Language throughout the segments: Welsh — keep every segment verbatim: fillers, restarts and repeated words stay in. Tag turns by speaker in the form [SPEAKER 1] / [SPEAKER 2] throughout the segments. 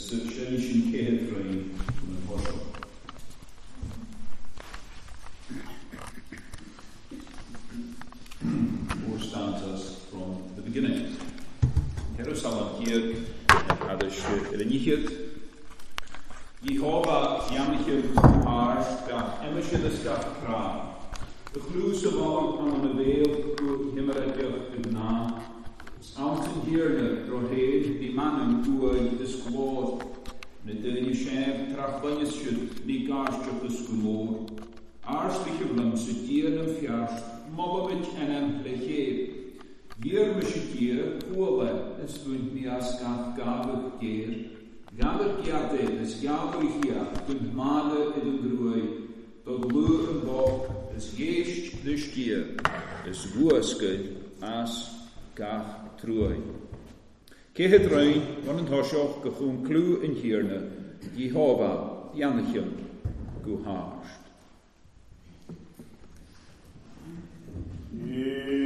[SPEAKER 1] Is sin sin céad roiin an thoiseach. Four stanzas from the beginning. Jerusalem hier agus Rinnichiad. Jehovah Yamichiad Ars gach Emisiad gach Kra. De chlús amháin an an bhéal go himreach i ná. Is antain hiarna rohéad bhí manam uaid is glód. Na duine séimh trachbainne siad ní gáisteach is go mór. Ars bhíomlam sa dír an fearst, molamid enam le chéad. Dhír me si dír cuala is bhaint mí as gach gabhadh géar. Gabhadh geate is gealú hia dún mála i dún gruaid. Do glú an bó is ghéist leis dír is bhuascail as gach truaid. Céad roiin run an thoiseach go chun clú an hiarna, Jehovah Yanachion go háist.
[SPEAKER 2] Amen.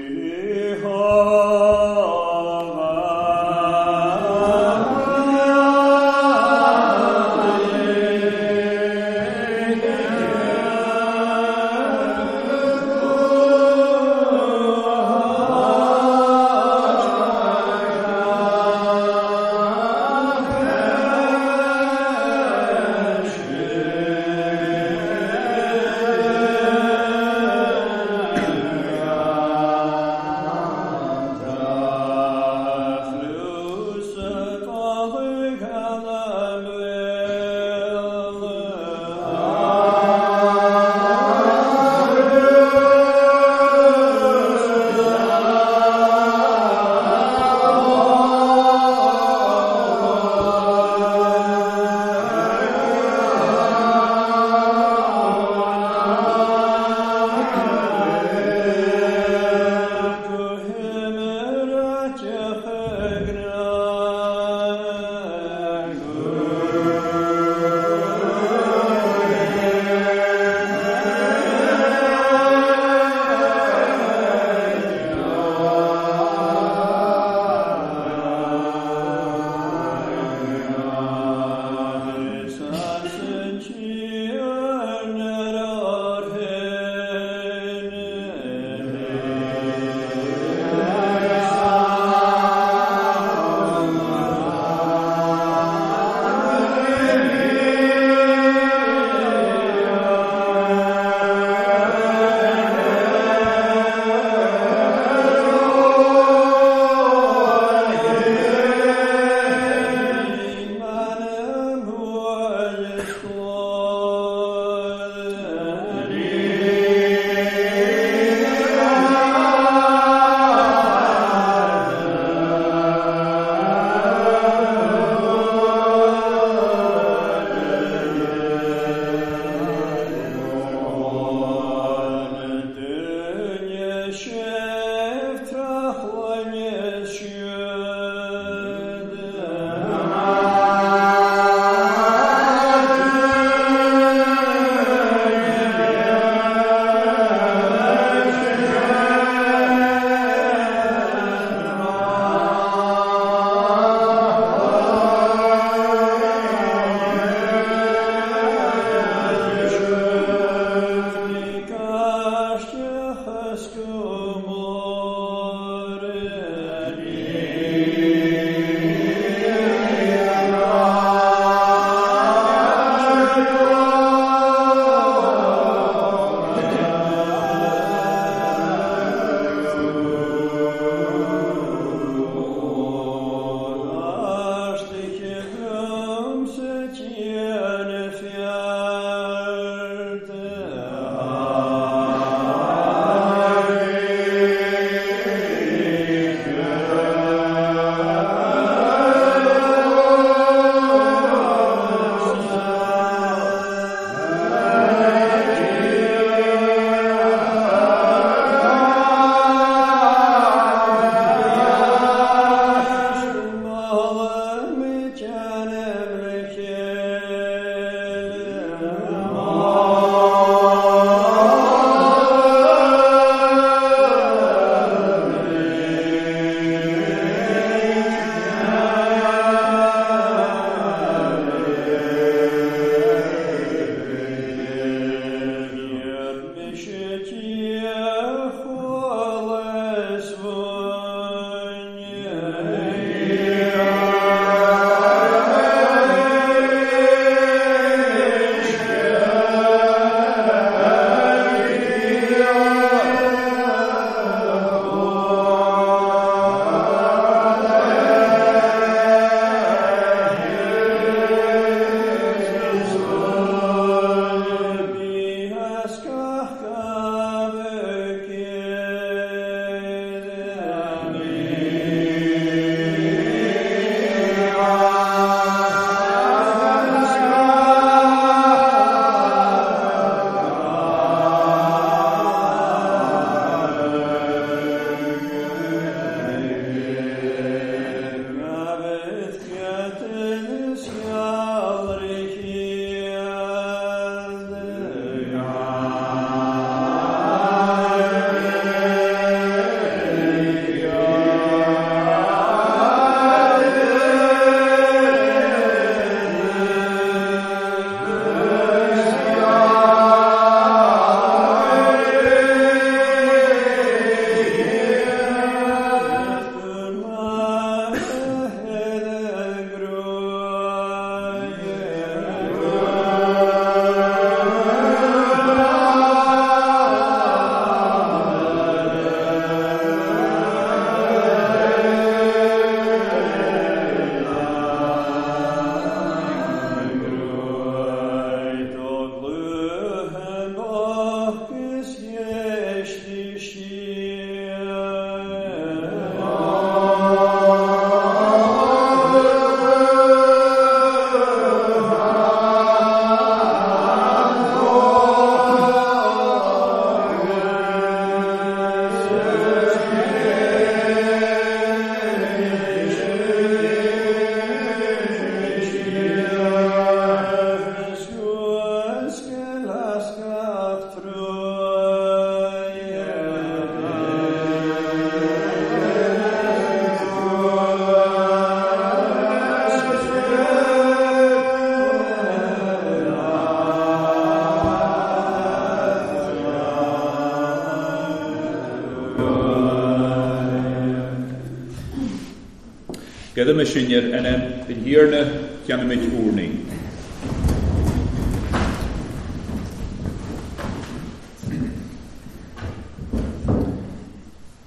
[SPEAKER 1] Céadam sinir enem den hiarna ceannaimid úrnaí.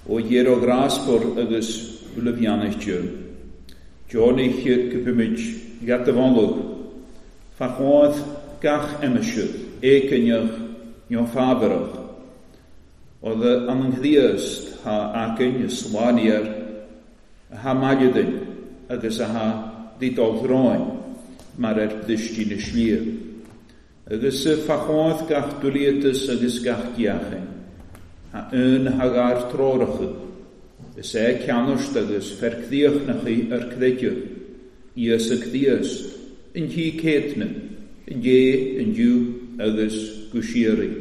[SPEAKER 1] Ó dhéar ó ghrásfór agus ulamhianaiste, Deonaigh go bimid gat a bhánlog, Fachodd gach emisiwd, écinneach nó fábharach, Oedd an ynghddiast ha acyn y slániar a ha mailidin agus a ha didol dhroin mar ar bdistí na slír. Agus fachodd gach dwliatas agus gach diachin, ha un hagar tróracha, is é ceannaist agus fercdíochnachaí ar creideamh, Íosa Críost, in tí céitne, in dé, in diú agus go síoraí.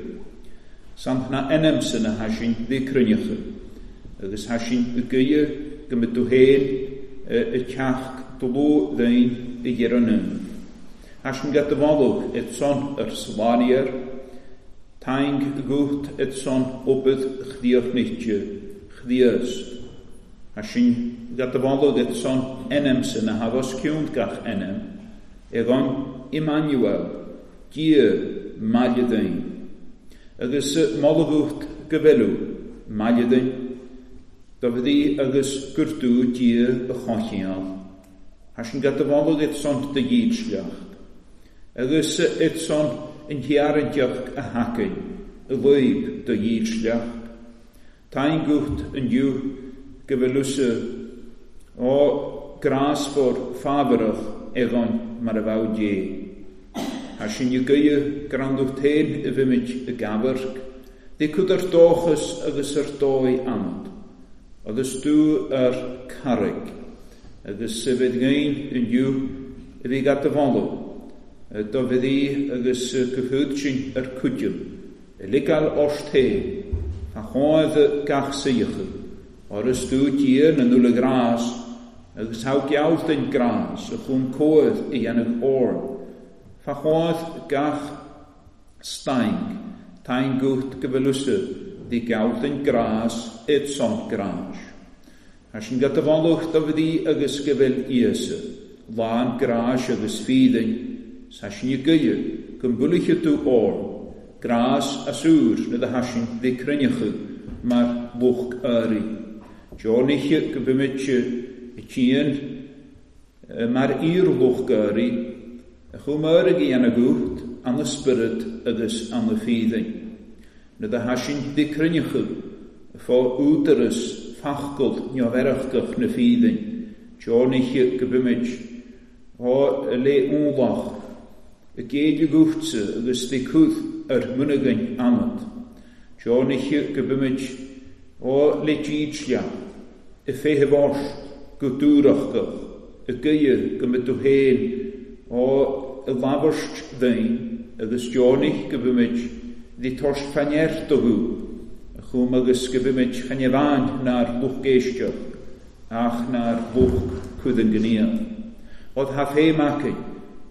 [SPEAKER 1] Sant na enamsa na hasin bhí cruinneacha, agus hasin i gcuie go mbeadh tú féin i teach do ló dain i dheireadh. Hasin gat a bhálóg et son ar slániar, taing gucht et son opet chdíochnichte chdíost. Hasin gat a bhálóg et son enamsa na havas ciúnt gach enam, egon Immanuel, Dia maille dain. Agus moladh go bhfuil maille dain, do bhí agus gurtú Dia a choincheall. Hasin gat a bhálóg et son de dhísleacht. Agus et son in thiaranteach a hacain, a loib do dhísleacht. Tain gucht an diú go bhfuil ó grásfór fábharach egon mar a bheadh Dé. Hasin i gcuie granducht féin i bhimid i gcabarc, dé cud ar dóchas agus ar dóigh anad, agus tú ar carraig, agus sa bheith gain an diú a bhí gat a bhálóg, do bhí agus go thuad sin ar cuidiú, i ligeáil ort féin, a choimh gach saoithe, agus tú Dia na nula grás, agus thá gealt den grás, a chum cóimh i dhéanamh ord, fa choimh gach staing, tain gucht go bhfuil di gealt den grás et son grás. Hasin gat a bhálóg do bhí agus go bhfuil Íosa, lán grás agus fídain, hasin i gcuie go mbuailfidh tú ord, grás asúr na do hasin dé cruinneacha mar lucht áirí. Deonaigh go bimid i tían mar iar-lucht áirí, a chumar ag dhéanamh gucht an na spiorad agus an na fídain. Na do hasin dé cruinneacha fá údaras fachgol neamhaireachach na fídain, Deonaigh go bimid á le únlach, y géid guchtsa agus dé cúth ar munagain anad. Deonaigh go bimid á le dísleacht, i féithe bhorst go dúrachach, i gcuie go mbeadh tú féin á i labhairt dain, agus deonaigh go bimid dí toist faneart do a chum agus go bimid channeamháin nár lucht éisteach, ach nár lucht cuidan gníomh. Od ha féim acain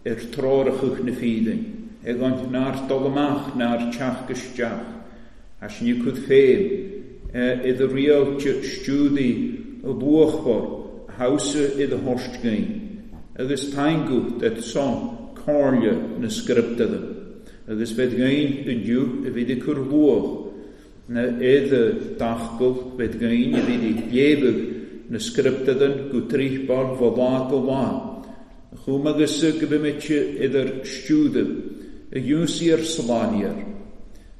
[SPEAKER 1] ar trórachuch na fídain, ag an nár dul amach nár teach isteach, hasin i cud féim, i do rialte stiúdaí a luachmhar a hausa i do thorst gain, agus taingucht et son comhairle na scriptada, agus bheith gain inniu a bhí de cur luach, na éad dachgul bheith gain a bhí de léamh na scriptadan go tríchbar bhá lá go lá. Chum agus go bimid idir stiúda, a dúnsaí ar slániar,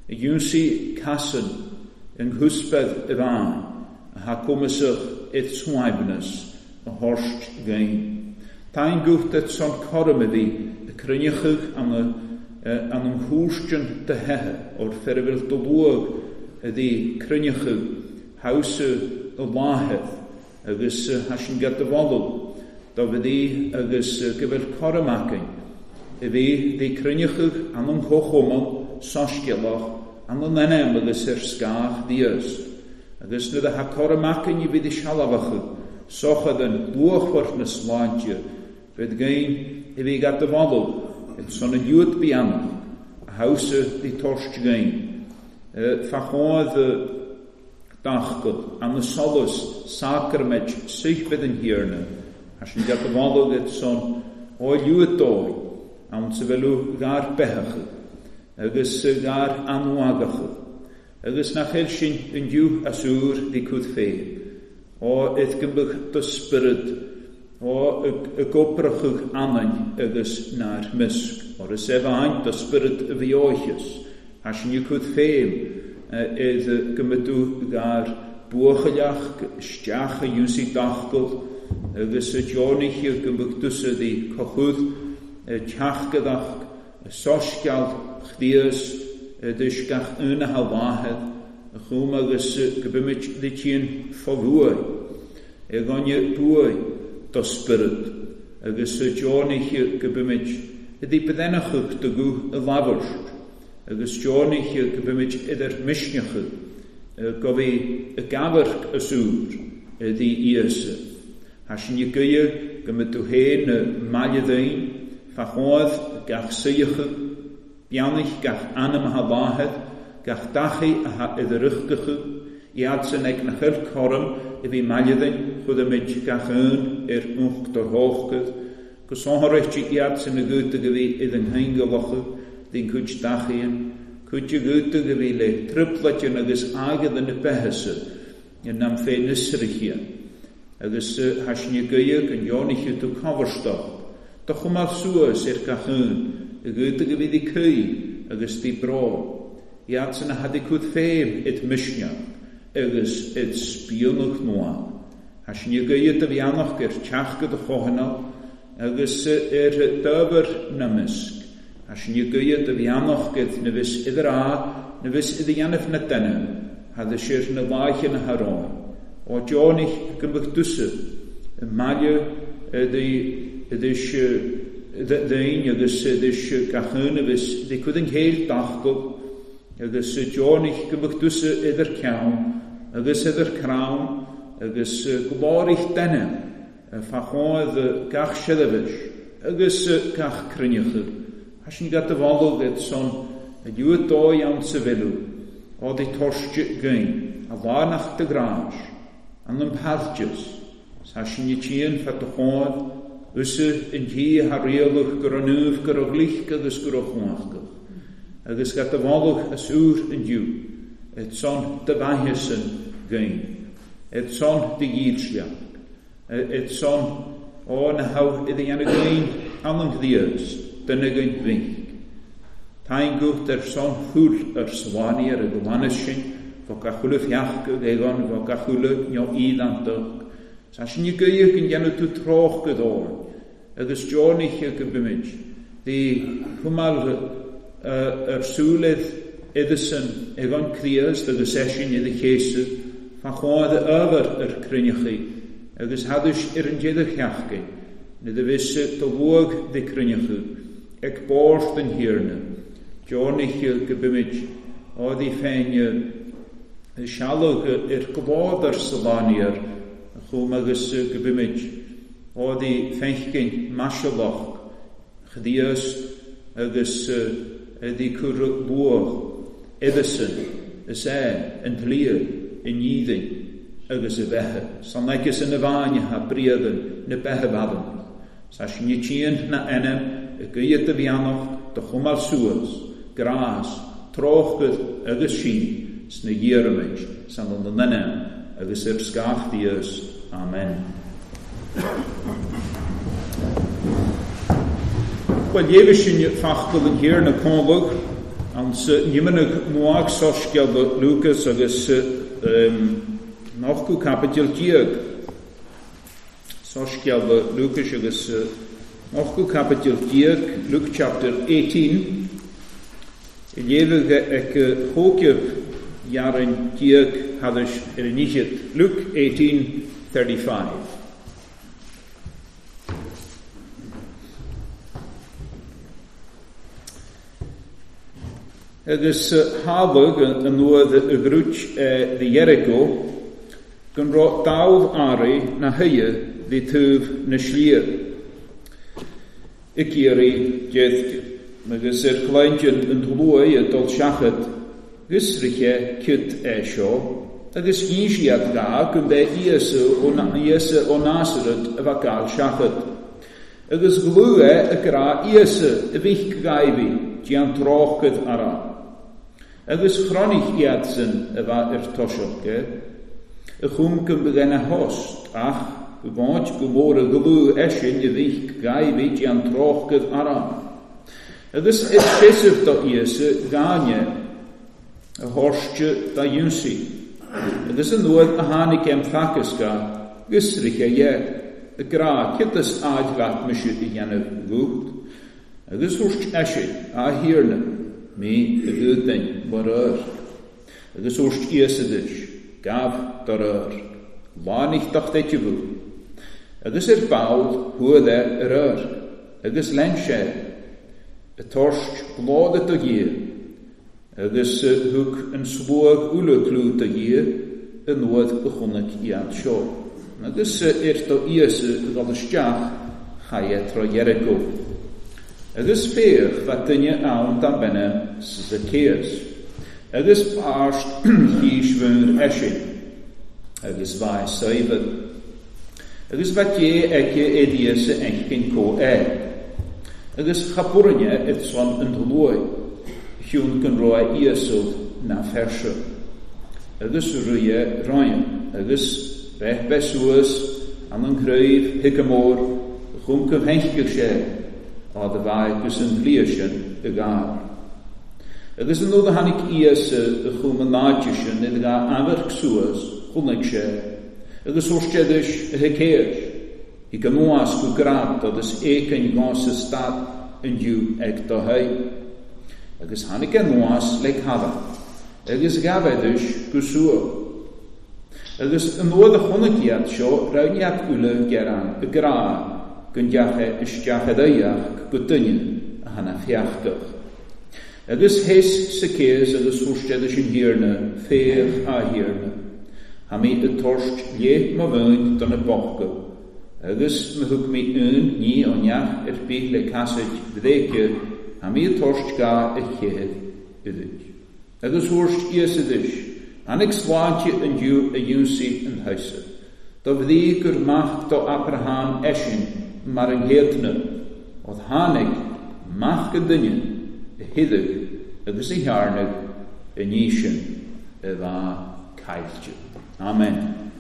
[SPEAKER 1] a dúnsaí casan in húsped i bháin, a ha cumasach it suaimhneas a thorst gain. Tain gucht et son coram a bhí a cruinneachadh an an an chúistean de heithe o'r ferfil do luag a bhí cruinneachadh hausa a láitheh agus hasin gat a bhálóg do bhí agus go bhfuil coram acain a bhí dí cruinneachadh an an chóchomal soscéalach an an enam agus ar scách díos, agus nuair a ha coram acain i bhí de sealbhacha sochad an luachmhar na sláinte, bheith gain a bhí gat a bhálóg et son an dúat bianach a hausa dí torst gain. Fachodd dachgol an na solas sacrament seichbed an hiarna, Hasin gat y falwg et son o liwyd doi, awn sefelu gar behachu, agus gar anwagachu, agus na chael sin yn diw asŵr di cwth fe, o eth gymbych dysbryd, o y gobrachwch anain agus na'r mysg, o'r ysefain dysbryd y fioechus, hasin yw cwth fem, edd gymydw gar buachylach, stiach y iwsi dachgol, agus y dionich y gymbych dysyd i cochwdd, y tiachgydach, y sosgial chdias, y dysgach yn y halwahed, y chwm agus gybymyd dditien ffofwy, y gonia bwy dosbyryd, agus y dionich y gybymyd ydi byddenachwch dygw y lafwrst, agus dionich y gybymyd ydy'r misniach, gofi y gafyrch y sŵr ydi Iesu. Hasin y gyia gymydw hen y malyddyn, fachodd gach seiach, bianich gach anam ha lahed, gach dachi a iddyrychgach, i adsen ag na chel corm i fi malyddyn, chwydymyd gach yn i'r nwch dor hochgydd, gosonhorech i adsen y gwydyg i fi iddyn hyngyloch, dyn cwyd dachi yn, cwyd y gwydyg i fi le triplatyn agos agydd yn y behysy, yn am fe nysrychia. Agus hasin y gyia yn ionich y dw coferstoch, doch yma'r sŵas i'r gach yn, y gyda gyfi di cwy agus di bro, i adsen a hadi cwyd ffeim yd mysniach, agus yd sbionwch noa. Hasin y gyia dy fianoch gyr tiach gyda chohanol, agus yr dyfr nymysg. Hasin y gyia dy fianoch gyda nefys iddyr a, nefys iddy anaf na dynnu, hadys i'r nylaich yn y haroen. O dionich gymbych dwsy, y malio ydy ydys ddyn agus ydys gachyn ydys dicwyd yn cael dachgol agus dionich gymbych dwsy ydy'r cawn agus ydy'r crawn agus glorich dynnu ffachodd gach siddafys agus gach cryniach. Hasin gat y falwg ed son y diwyd doi iawn sefylw o di torstio gyn a lanach dy gras an yn pardius hasin i tîn ffat y chod Ysa yn hi hariolwch gyr gyr o glich agus gyr o chwachgach. Agus gat y falwch as ŵr yn diw, et son dy fahys yn gyn, et son dy gylsiach, et son o na haw iddi an y gyn alan ddias, dyna gyn fynch. Tain gwrt er son hwyl yr swani ar y glanys sin, fo gachwle fiach egon, fo gachwle nio iddantoch. Sa sin i gyich yn genw dw troch gyddor, agus dionich y gybymyd, di hwmal yr sŵlydd iddysyn egon crias agus esin iddi chesu, fa chwadd y yfr yr cryniachu, agus hadys i'r yn dieddach iachgu, nid y fys dy fwg di cryniachu, ag borth yn hirna, dionich y gybymyd, o di ffein y sialwg i'r glod yr sylani'r, chwm agus gybymyd, o di ffenchgyn masioloch, chdias agus ydi cwr lwch, iddysyn, ys e, yn tlir, yn iddyn, agus y behe. Sanegys yn y fain ha briaddyn, na behe faddyn. Sa sin i tîn na enem, y gyda dy fianoch, dy chwmal sŵas, gras, trochgydd agus sin, sna iarymyd, san yn enem, agus yr sgach dias. Amen. Wel, jefys sy'n ffachgol yn hir na conlwg, ond nimenig mwag sosgial Lucas agus um, nochgw capital diag. Sosgial Lucas agus nochgw capital diag, Luke chapter eighteen. Jefyg ec chógyf jaren diag hadys yr inichid. Luke eighteen thirty-five. Agus hafwg yn nŵad y grwt ddi Jericho, gan ro dawdd ari na hyia ddi tŵf na slir. Y gyri dieddg. Agus yr glaendion yn dlwy y dol siachad, gysryche cyd e sio, Agus dhín siad gá go mbeidh Íosa ó Nasaret a bheith gáil seachad. Agus glú é a grá Íosa a bhích gaibhi déan tráchad ara. Agus chronich iadsan a bheith ar toiseach é, a chum go mbeidh a host ach go bháid go mór a glú eisin a bhích gaibhi déan tráchad ara. Agus is fiosaf do Íosa gáine a thóirste da dhéansaí. Agus an nuad a tháinig am thacasca gus riche dhe, a grá citas áid leat mise a dhéanamh gúcht, agus thuirt eisin a thiarna mí a gúdain mar eur. Agus thuirt Íosa duis, gabh dar eur, láinich docht eitibú, agus ar ball thuad é ar eur, agus lein sé, a toirt glóda do dhia, agus thug an sluag uile clú do dhia a nuad a chonaic iad seo. Agus ar do Íosa a dhul isteach chaith tro Jericho. Agus féach bheith duine ann dá benne sa Zacchaeus. Agus páirt chís bhúr eisin. Agus bhaith saibhir. Agus bheith dé aici é Íosa einchinn có é. Agus chapúrinne it son an dlúi. Hiún gan roa Íosa na ferse. Agus ruie roian, agus bheith besuas an an craobh higamór, chum go henchig sé, á do bhaith gus an bhlia sin i gár. Agus an nuad a tháinig Íosa a chum an náide sin i gá amharc suas, chonaic sé, agus thuirt sé duis a Zacchaeus, i go nuas go grad agus éicin gás sa stad an dú ag do haigh. Agus tháinig an nuas le cada, agus gabh duis go suas. Agus an nuad a chonaic iad seo raibh iad uile gearán i grá go ndeacha isteach a dhéach go duine a hana feachtach. Agus théis Zacchaeus agus thuirt sé duis an thiarna, féach a thiarna. Ha mí a toirt léith mo bhain don na bochta, agus ma thug mí un ní ó neach ar bith le casaid bhréice, ha mí a toirt gá a chéad uidig. Agus thuirt Íosa duis, tháinig sláinte an dú a dhéansaí an thusa. Do bhrí gur mac do Abraham eisin mar an gcéadna, ó tháinig mac an duine a thuideadh agus a thearnadh a ní sin a bheith caillte. Amen.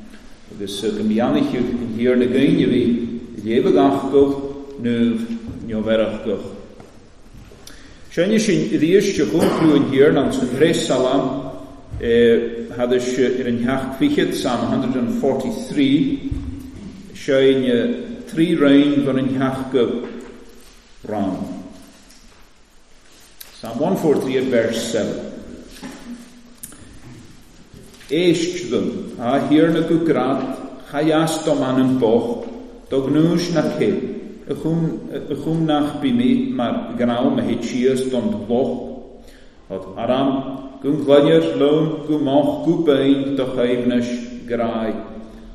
[SPEAKER 1] Agus go mbeannaithe an thiarna gaoine bhí léamh gach nuamh neamhbhearach. Seinne sin arís de chomhlú an thiarna an san Thréis Salam hadis ar an theach fichead, Psalm one hundred forty-three, seinne trí roinn gan an theach go ran. Psalm one forty-three at verse seven. Éist dom, a thiarna go grad, chaias dom an an bocht, do gnúis na cé, a chum nach bí mé mar gnám a hit síos don loch, had aram gun ghlainir lón go mách go bein do chaimhnis grái,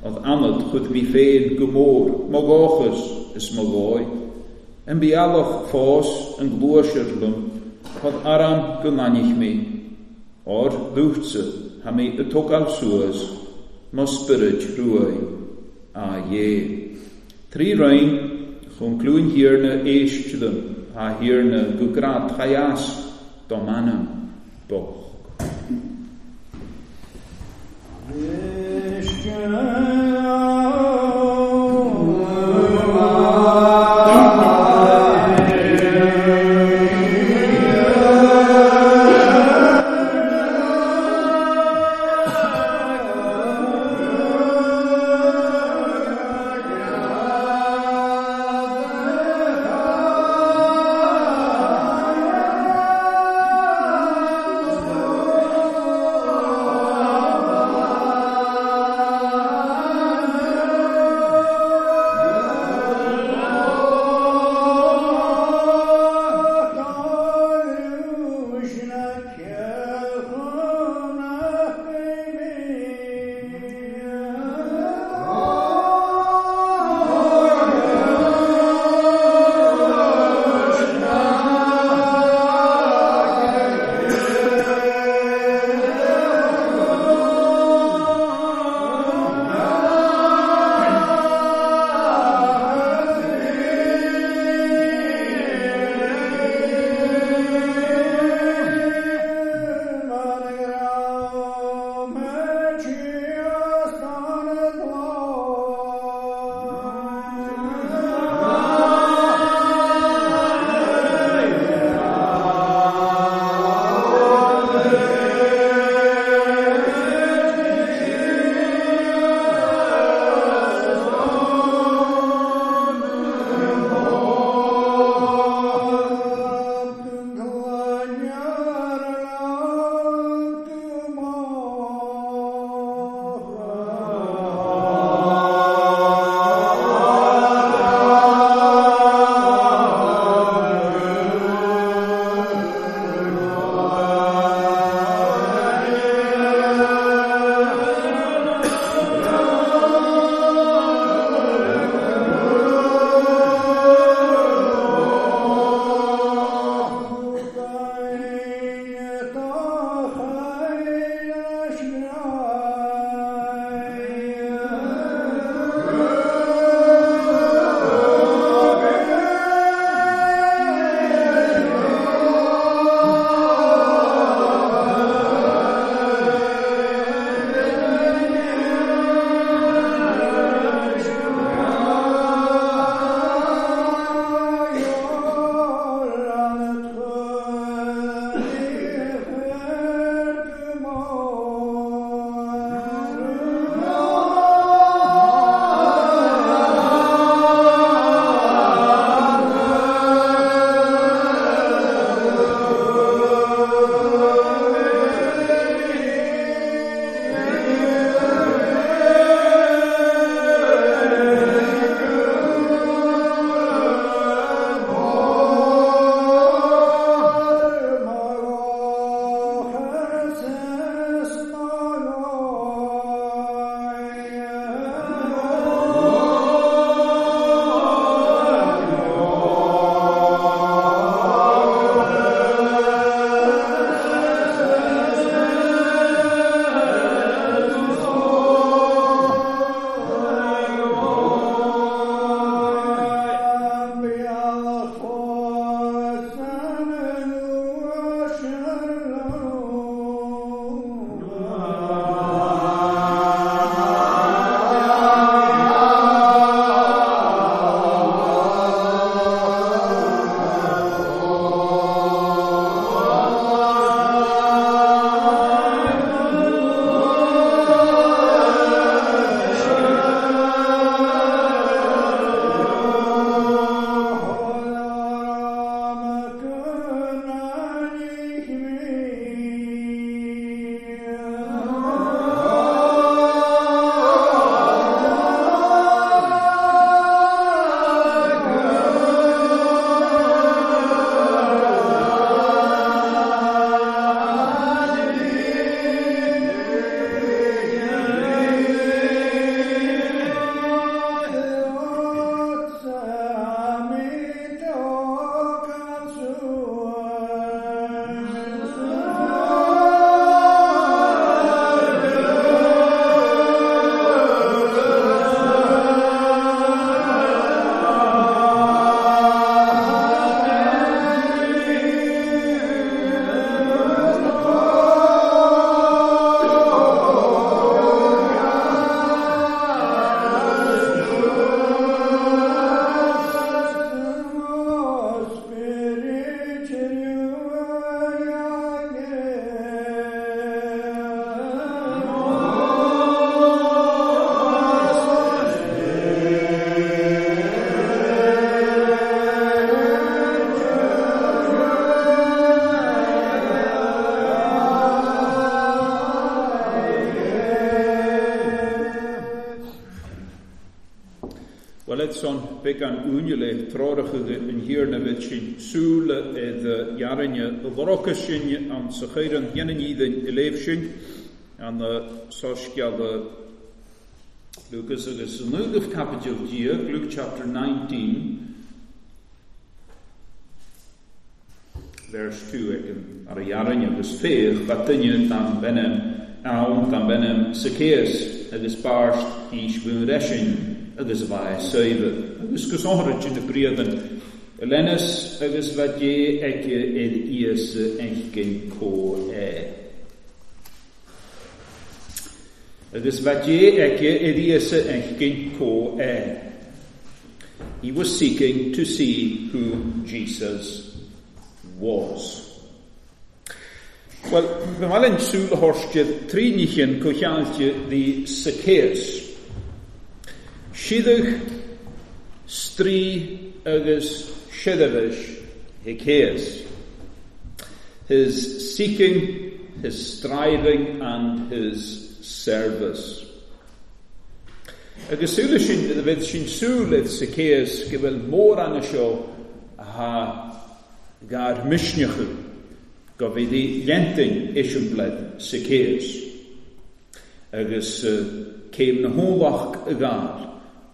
[SPEAKER 1] ad anad chud mí féin go mór, mo gáchas is mo gái, an bialach fás an gluaisir lom, had aram go nainich mé, or dúchtsa ha mé a tógáil suas, mo spirit ruai, a dhé. Trí roinn chun clúin thiarna éist dom, a thiarna go grad chaias dom anam bocht.
[SPEAKER 2] Oh,
[SPEAKER 1] Well, son began únile tráracha an hírna bheit sin súla id jarinne dorocha sin an sa chéireann dhéanaan i léh sin an sosceala Lucas agus an nuagah capital déag, Luke chapter nineteen, verse two ag an ar a jarinne agus féach ba duine dan benem ann dan benem sa céas agus barst hís bhún reisin agus bha saibh agus gus áthra sin na bríadan lenas agus bha dé aici id íosa enchgin có é. Agus bha dé aici id íosa enchgin có é. He was seeking to see who Jesus was. Well, bhí mar an súil a thóirste trí níchin comhcheannalte the Zacchaeus. Siadach, strí agus siadabhais Zacchaeus. His seeking, his striving and his service. Agus súil sin a bheith sin súil id Zacchaeus go bhfuil mór anna seo a gar misneacha go bhí dí lentin isiombled Zacchaeus. Agus céim na hólach a gael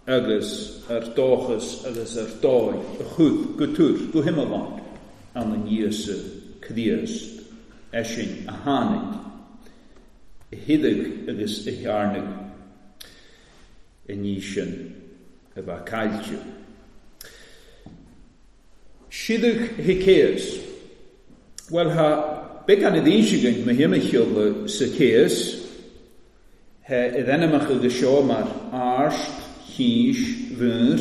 [SPEAKER 1] agus ar dóchas agus ar dóigh a chud go túr go himmeláin an an Íosa Críost eisin a tháinig a hidig agus a thearnaigh i ní sin a bheith caillte. Siadach Zacchaeus. Well, ha began i ddísigan me himmechiol Zacchaeus he i ddenamach agus seo mar arst hís bhúr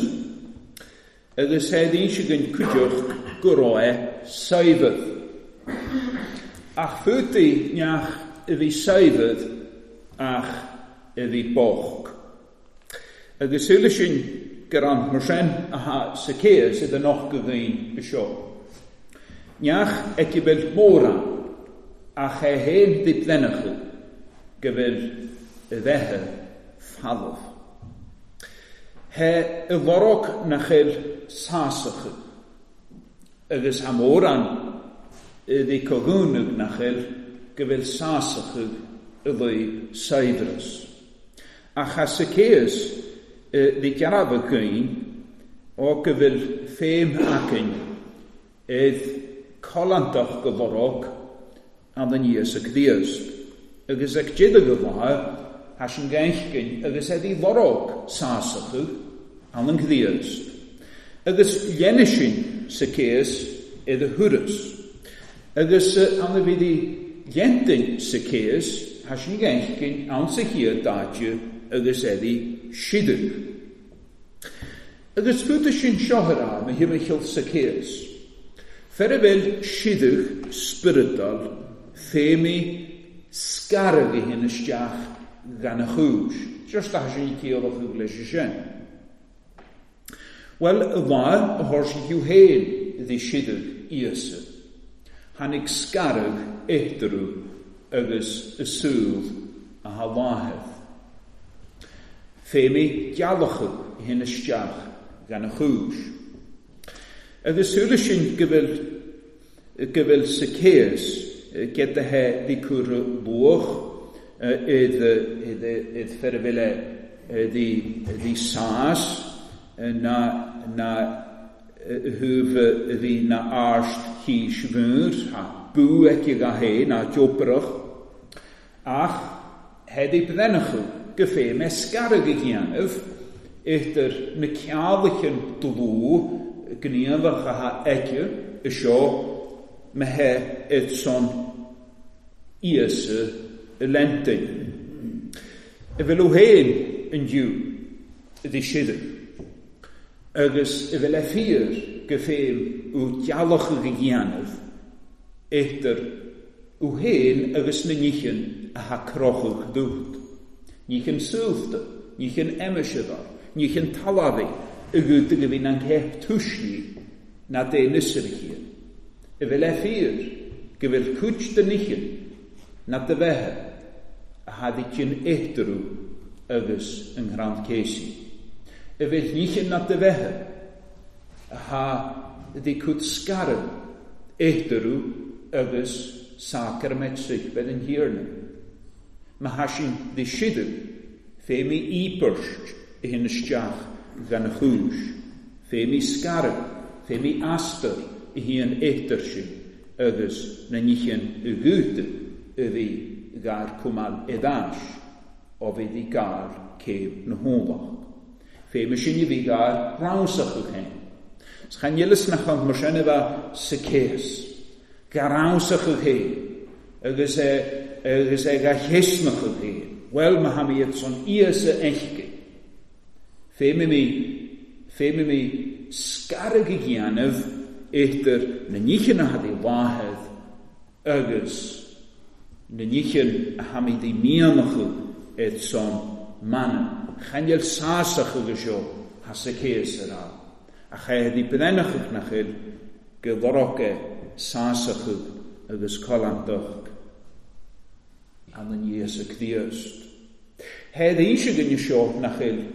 [SPEAKER 1] agus he ddísigan cuideach go raibh saibh. Ach fúti neach i bhí saibh ach i bhí boch. Agus súla sin gur an mar sin a ha Zacchaeus i noch go dhaoine i seo. Neach aici bhfuil móra ach é héin diplennacha go bhfuil i bheithe falamh. He i lorg na chuil sásacha agus ha móran i ddi cogúnug na chuil go bhfuil sásacha i lí saibhreas. Ach ha Zacchaeus ddi gearabh gaoin ó go bhfuil féim acain id colantach go lorg an an Íosa Críost. Agus ag dida go bhaith ha sin gainchgin agus é lorg sásacha an an Críost. Agus dhéanamh sin Zacchaeus id a thuras. Agus an a bhí dhéantain Zacchaeus ha sin gainchgin an sa chiad dáite agus é siadach. Agus fúta sin seothara me himmechill Zacchaeus. Fer a bhfuil siadach spioradal féimi scarag i hyn isteach gan a chúis. Just a sin céalach thú leis sin. Well, y lá a thóir si hiú héin ddi siadach Íosa. Tháinig scarag étarú agus y súil a ha láitheh. Féimi gealacha i hyn isteach gan a chúis. Agus súla sin go bhfuil go bhfuil Zacchaeus gyda he ddi cwr lwch id id id ferfile ddi ddi sas na na hwf ddi na arst hís fwyr ha bw eci ga he na jobrach ach heddi byddenachw gyffe me sgarag i gianaf eithr na cealachan dlw gníomhach a ha aici i seo me he id son Íosa i lentin. I bhfuil ó héin an diú i ddi siadach. Agus i bhfuil e fíor go féim ó dealach a dhéanamh eithr ó héin agus na níchin a ha crochach dúcht. Níchin súlta, níchin eimiseadar, níchin talavi i gúta go bhín an céip tuisní na dé nusar a chian. I bhfuil e fíor go bhfuil cuid de níchin na de bheithe a hadi cin étarú agus an grant céisi. A bhfuil níchin na de bheithe a dí cúd scaran étarú agus sacrament suichbed an hiarna. Ma ha sin dí sidu fé mi íperst i hin isteach gan a chúis, fé mi scaran, fé mi astar i híon étar sin agus na níchin y gúta a bhí gar cumal edáis ó bhí dí gar céim na hónach. Fé mi sin bhí gar ránsach go chéin. Chan eles nach an mar sin a bheith sa céas. Gar ránsach go chéin agus é agus é ga chéisnach go chéin. Well ma ha mi iad son Íosa enchke. Fé mi mi fé mi mi scarag a dhéanamh idir na níchin a had i láthad agus na níchin a ha mi di mianachu ed son mana. Chan el sásach agus seo ha sa céas ar á. A cha di brenachach nach il go loroche sásach agus colantach an an Íosa Críost. He ddíse gynnu seo nach il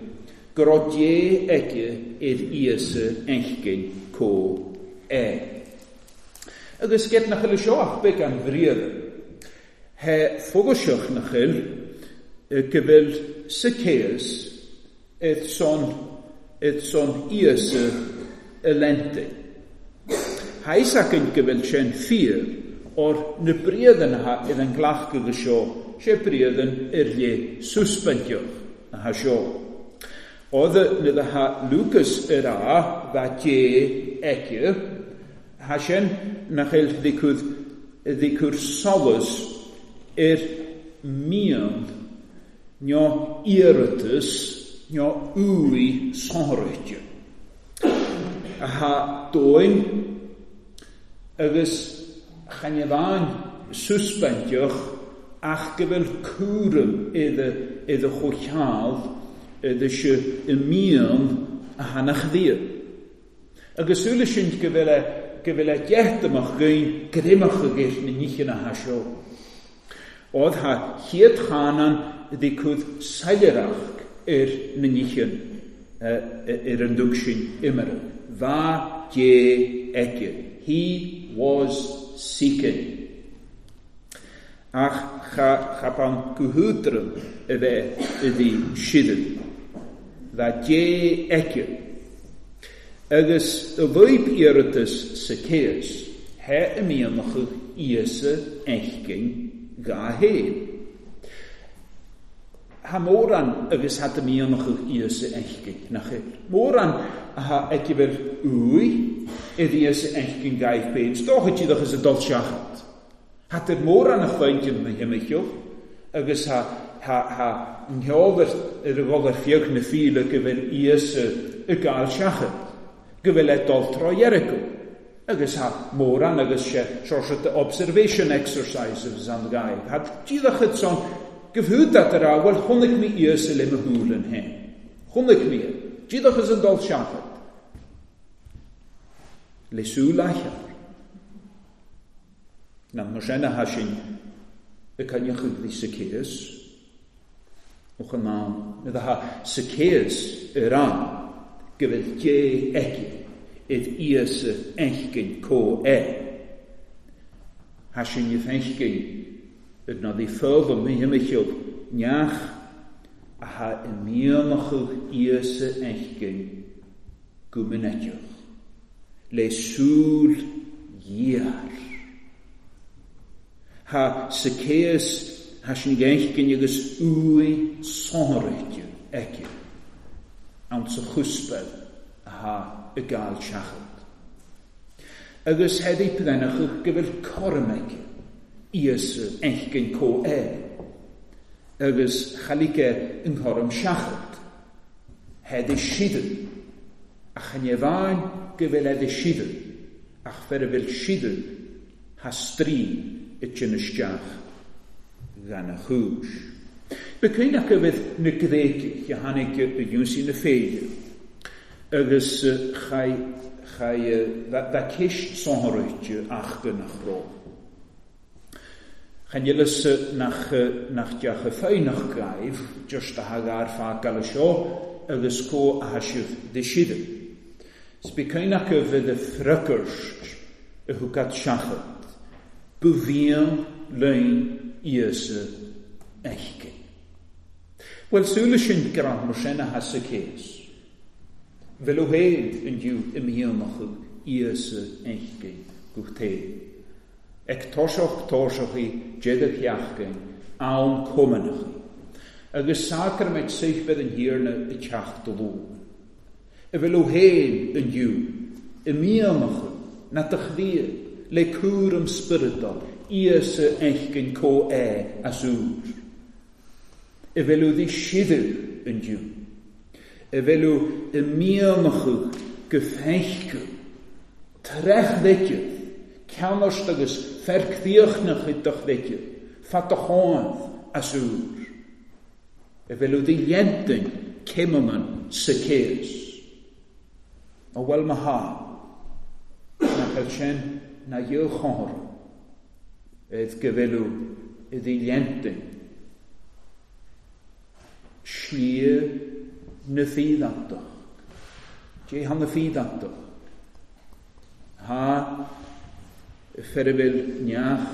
[SPEAKER 1] go raibh Dé aici ar Íosa enchgin có é. Agus get nach il seo ach big an bhriad. He fogaseach nach il go bhfuil sa céas ed son ed son Íosa y lente. Haisacyn go bhfuil sin fíor o'r na briadan ha idd yn glach gyda seo, sé briadan ir le suspentioch a ha seo. Oedd nid ha Lucas yr a fa dé eci, ha sin nach il ddicwdd ddicwr solus ir mian nio iaratas nio úi sonrwytio. A ha dóin agus chan bhain suspentioch ach go bhfuil cúram iddo iddo chomhcheall iddo se i mian a hanach dhia. Agus súla sin go bhfuil go bhfuil a deachtamach gúin grimach agus na níchin a ha seo. Oedd ha chéad chanan dí cúd sailearach ar na níchin ar an dug sin imire. Bha Dé aici. He was seeking. Ach cha chapan gohútram a bheith i dí sidan. Bha Dé aici. Agus y lwyb iaratas sa céas, he y mianach Íosa enchgin ga héin. Ha móran agus hat y mianach Íosa enchgin nach héin. Móran a ha aici úi idd Íosa enchgin gaif bein. Stochad iddach is a dul seachat. Hat er móran a chlointin na himichioch agus ha ha ha nheolder ar a gholar fiag na fíle go bhfuil Íosa y gael seachat. Go bhfuil é dul tro Jericho. Agus ha móran agus sé seo the observation exercises an gaib. Hat dílachad son gyfhwyd dat yr a, wel chonaic mi Íosa le mo húl yn hen. Chonaic mi. Dílach is an dul seachat. Le súl aichear. Na mar sin a ha sin y cynnychwg ddi Zacchaeus. Och yn am. Nid ha Zacchaeus yr am go bhfuil Dé aici id Íosa enchgin có é. Ha sin yf enchgin yd na ddi ffyrdd mi himichiodd neach a ha i mianachwch Íosa enchgin gwmynetioch. Le súl dhéar. Ha Zacchaeus ha sin enchgin agus úi sonrwytio aici. An sa chuspel a ha y gael seachat. Agus heddi prenach go bhfuil corm aici Íosa enchgin có é. Agus chalice yn corm seachat. Heddi sidan. A chan bhain go bhfuil eddi sidan. Ach fer a bhfuil sidan ha strí i sin isteach gan a chúis. Becwynach a fydd na Gréigich a tháinig y iwsi na féide. Agus chai chai bha ceist sonrwytio ach gynach ro. Chan eles nach nach deach y ffeinach gaif, just a hagar ffa gael y sio, agus có a sibh de siad. Spicéin acu bheith de fröcurst a thugat seachat, bu bhíon lein Íosa eichcin. Well, súla sin gran mar sin a has sa céas. Bhfuil ó héad inniu i míonach Íosa eichcin go té. Ag toiseach toiseachaí deadach theachcin am cumannachaí. Agus sacrament saothbed an thiarna i teach do lóin. I bhfuil ó héad inniu i míonach na do chliath le cúram spioradal Íosa eichcin có é as úr. I bhfuil ó dí siadh inniu. I bhfuil ó i míonach go feiccu, trech bheitydd, ceannost agus fercdíochnach i doch bheitydd, fat do cháinth as úr. I bhfuil ó dí llentain céimeanna sa céas. Ó bhfuil ma ha, nach bhfuil sin na dheo chóir, ed go bhfuil ó i dí llentain. Slí na fídantach. Dé han na fídantach. Ha ferbil neach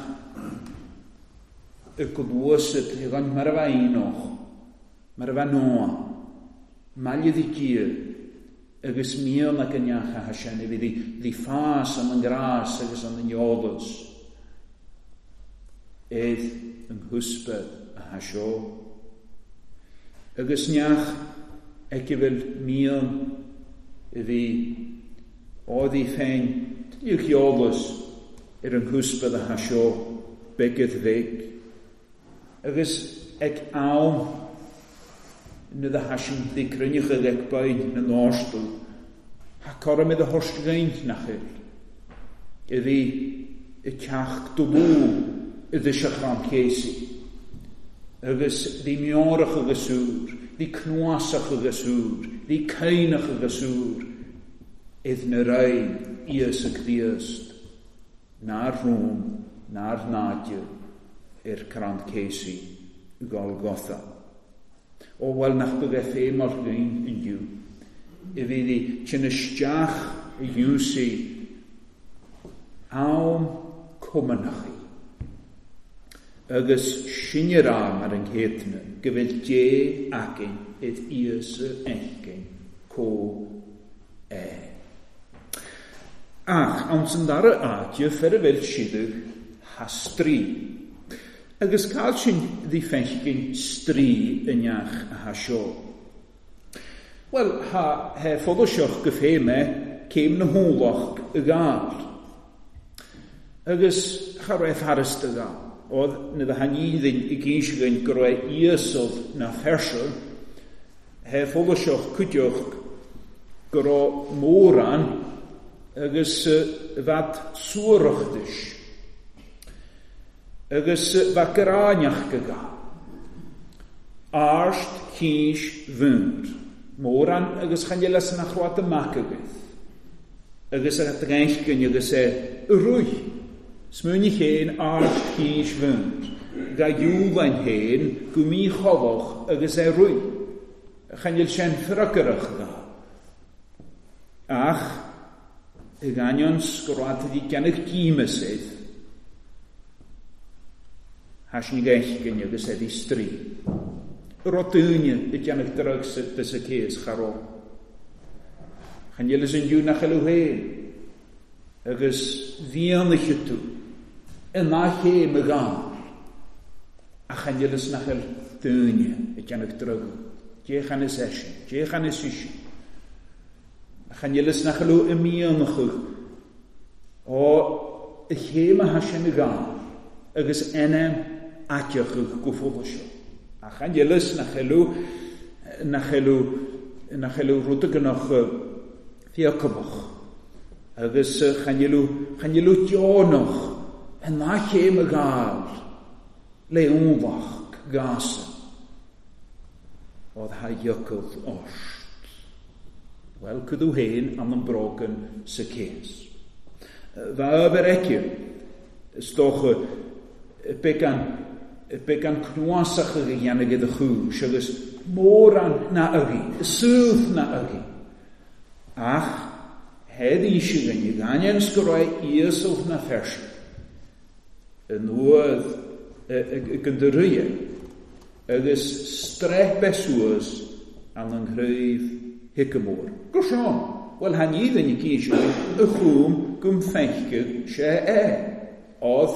[SPEAKER 1] y glwysyd i gan mar a bheith enoch, mar a bheith noa, maille di gír, agus míon ag an neach a ha sin, i bhí di fás an an grás agus an an eolas. Ed an húsbed a ha seo. Agus neach ag i bhfuil míon i bhí ádaí féin tuilleadh eolas ar an húsbed a ha seo beagad bheag. Agus ag am na da hasin di cruinneacha ag bain na náistú, ha corm i do thoisc nach bhfuil. I bhí i teach do lú i dtiseach céasaí. Agus bhí miorach agus úr, bhí cnuasach agus úr, bhí caineach agus úr, id na rain Íosa Críost, nár rún, nár náide, ar crann céasaí i Golgotha. Ó bhfuil nach go bheith féin mar ghain inniu, i bhí di tsin isteach i dhiúsaí am cumannachaí. Agus sinne rá mar an chéadna go bhfuil dé aicinn id Íosa eichcinn có é. Ach, an san dara áite fer a bhfuil siadach ha strí. Agus cael sin ddi feicinn strí i neach a ha seo. Wel, ha he fodosiach go féime céim na hólach y gael. Agus cha raibh tharasta gael. Oedd na dda haníddin i gynsigan go raibh Íosodd na fersio, he fodosiach cwdioch go raibh móran agus fad suarachdys. Agus bheith gráneach go ga. Arst cís bhúnd. Móran agus chan les na chroat amach agaibh. Agus a dréichcin agus é ruith. Smúni chéin arst cís bhúnd. Ga dúlain chéin go mí cholach agus é ruith. Chan sin fröcurach ga. Ach, y ganion sgwrad ydi gennych dímysydd. Hasni geichgyn agus eddi strí. Rodúine i gennych drug sydd dys y cés charo. Chan ielis yn diw nach elw hen. Agus fianach ydw. Yna lle my gael. A chan ielis nach el dúine i gennych drug. Dé chan is eisiau. Dé chan is eisiau. A chan ielis nach elw ymianach o y lle ma hasin y gael. Agus enem ateach go fóla seo. A chan ielis nach elw nach elw nach elw rwyd gynnwch fiacabach. Agus chan elw chan elw dionach yna lle ma gael le wnfach gasa. Oedd ha iacwdd orst. Wel, cydw hen am yn brogan sa cés. Fa aber ecio, stoch began Beidh an cnuasach a dhéanamh i do chúis agus mórán na agaí, súth na agaí. Ach head íse ganne ganean go raibh iasal na feirse. Yn nuad gyndyruie agus strech besuas an an chraobh hicamór. Go seán, well han iad yn gíse y chwm gwm feichyg sé e. Oedd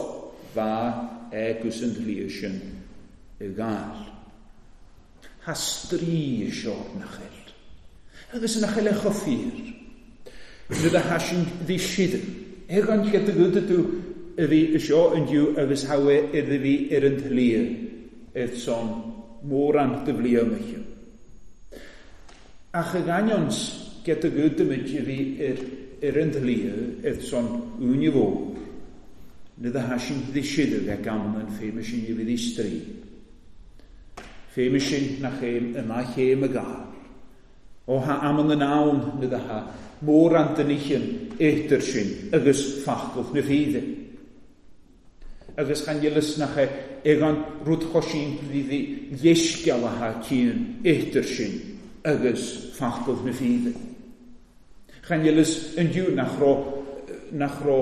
[SPEAKER 1] fa e gwrs yn dlíosin y gael. Ha strí seo nach eil. Agus nach eil e chofír. Nid a hasin ddi sidan. Ag an lle dy gyda dw y fi seo yn diw agus hawe iddi fi ir yn tlia edd son môran dy flio mychio. Ach y ganions gyda gyda mynd i fi ir, ir yn tlia edd son wn i fod. Nid a hasin ddi sidan ag am yn ffeim sy'n i fi ddi stri. Ffeim sy'n na chem yna chem y gael. O ha am yn awn nid a ha môr antynichion eithr sin agus ffachgwch na ffydde. Agus chan ylys na che egan rwyd chosin pliddi llesgial a ha cyn eithr sin agus ffachgwch na ffydde. Chan ylys yn diw na chro, na chro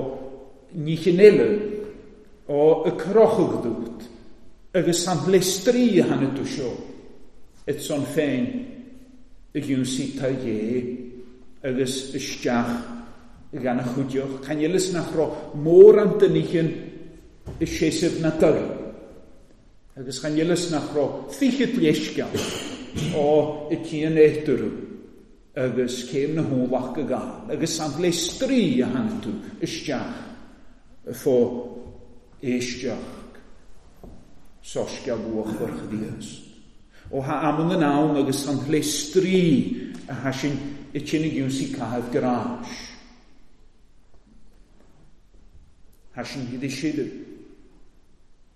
[SPEAKER 1] nichinelu o y crochwg dwt agus sant lestri han y dwsio et son ffein y gwn sy'n ye agus isteach gan y chwdioch. Chan ylys na chro môr antynichion y sesef na dyg. Agus chan ylys na chro ffichyd llesgial o y tîn eithyrw agus cem na hwlach y gael. Agus sant lestri a hanetw isteach ffo eisteach sosgial bwch o'r chyddias. O ha amon yn awn agus sant lestri a hasin y tîn y gwn sy'n cael gras. Hasin hyd eisiau.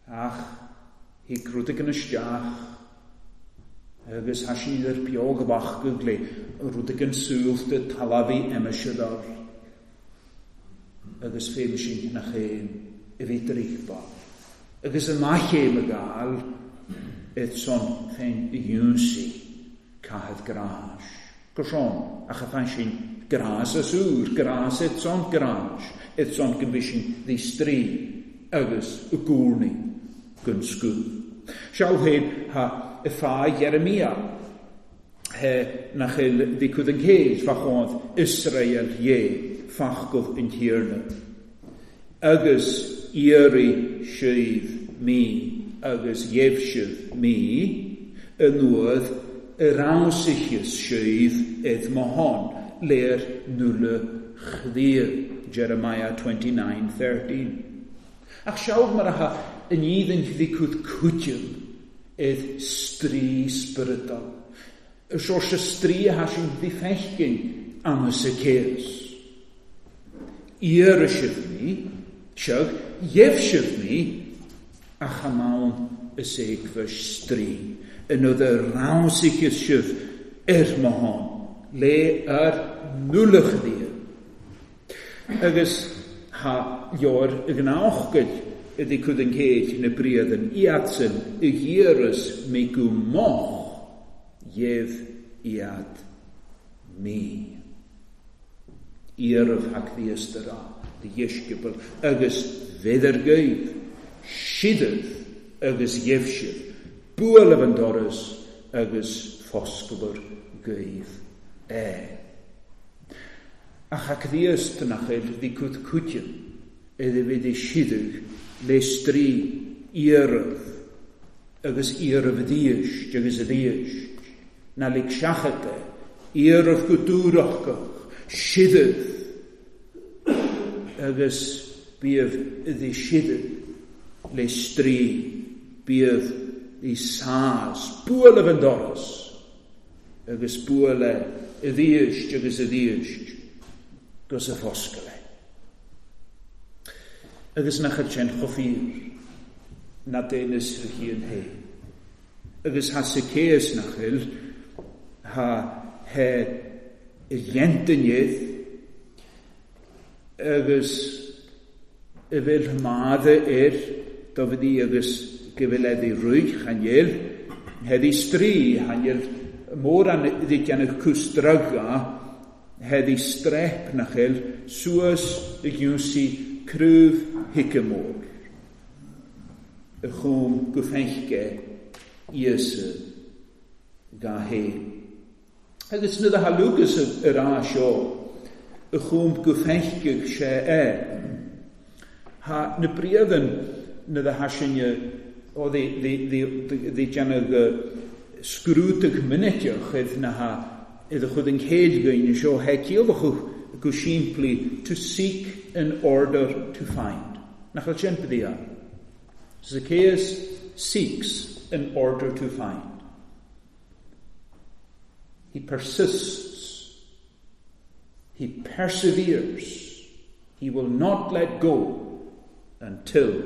[SPEAKER 1] Ach, hi grwdig yn ystiach. Agus hasin i'r biog bach gygle, rwdig yn sŵl dy talafi emysiador. Agus ffeim sy'n na chem, y fi drichba. Agus yna chem y gael, et son ffein y gwn si cael gras. Gosón, ach a fan sin gras a sŵr, gras et son gras, et son gymbysin ddi stri, agus y gŵrni gyn sgŵr. Siaw hyn ha y ffa Jeremia, he na chil dicwyd yn ceis fach oedd Israel ie, ffachgodd yn tirna. Agus ieri sydd mi, agus iefsydd mi, yn oedd yr awsichus sydd edd mohon, le'r nwle chdir, Jeremiah twenty-nine thirteen. Ach siawg mar aha yn idd yn ddicwyd cwtiwm edd stri spiritual. Y sios y stri a hasin ddiffechgyn am y syceus. I'r ysydd mi, siag, iefsydd mi, a chamawn y segfys stri. Yn oedd y rawsicus sydd er mohon, le ar nwlych ddir. Agus ha ior y gnawchgyd ydy cwyd yn ceid yn y briad yn iadsy'n y gyrus mi gwmoch ief iad mi. Iaraf hac ddi ystyrra, dy iesgybl, agus fedder gyf, sidydd agus iefsydd, bwyl yn dorys agus ffosgwr gyf e. Ach ac ddi ystynach eil ddi cwt cwtian, iddi fydd ei sidyg le stri iaraf, agus iaraf ddiysg, agus ddiysg, na lig siachate, iaraf gwdwrach sidydd, agus bydd iddi sidyg le stri, bydd i sas, bwyl yn dorys, agus bwyl e ddiysg, agus ddiysg, gos y ffosgyle. Agus na chyd chofir, na denys fy hun he. Agus ha syceus na chyl, ha he ientynydd, agus y fel madde er, dofydd i agus gyfileddu rwy chaniel, heddi stri chaniel môr an ddigian y cwstryga, heddi strep nachel, suas y gynsi cryf hicamor. Y chwm gwffenchge Iesu ga he. Agus na dda Lucas yr a sio, y chwm gwffenchge se e. Ha na briadyn na dda hasin o ddi ddi ddi ddi sgrwtag mynetiach edd na ha iddo chud yn céid seo he ciallach go simply to seek in order to find. Nach al sin byddi. Zacchaeus seeks in order to find. He persists. He perseveres. He will not let go until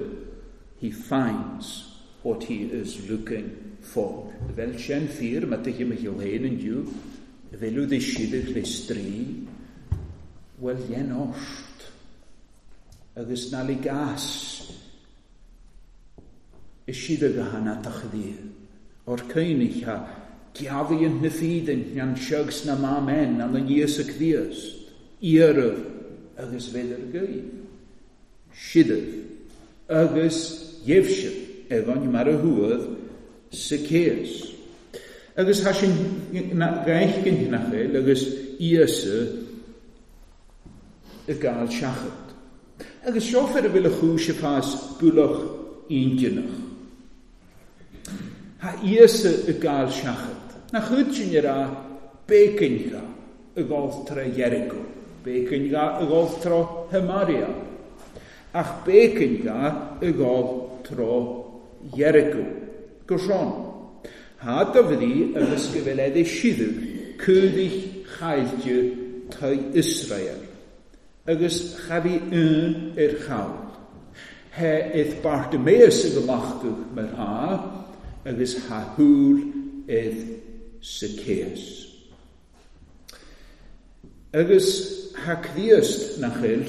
[SPEAKER 1] he finds what he is looking for. Fel sin ffyr, mae dy hym hen yn diw, fel yw ddisiedig le stri, wel ien ost, agus na li gas, isiedig a hana tachdi, o'r cynnig ha, giafi yn nyffydyn, nian siags na ma men, an yn Iesu Christ, iaraf, agus fel yr gyf, sidyf, agus iefsif, efo'n mar y hwydd, Zacchaeus. Agus ha sin gaich gyn hynachel, agus Iesu y gael siachad. Agus siofer y fel y chwys y ffas bwlwch un. Ha Iesu y gael siachad. Na chwyd sy'n yr a becyn ga y golth tra Jericho, becyn ga y golth tro Hymaria, ach becyn ga y golth tro Jericho. Gwrson. Ha dyfyddi agus gyfeleddu siddwg cwddich chaildiw tai Israel. Agus chafi un i'r chawl. He edd Bartimaeus y gymachgwch mer ha, agus ha hŵl edd Zacchaeus. Agus ha cddiast nachel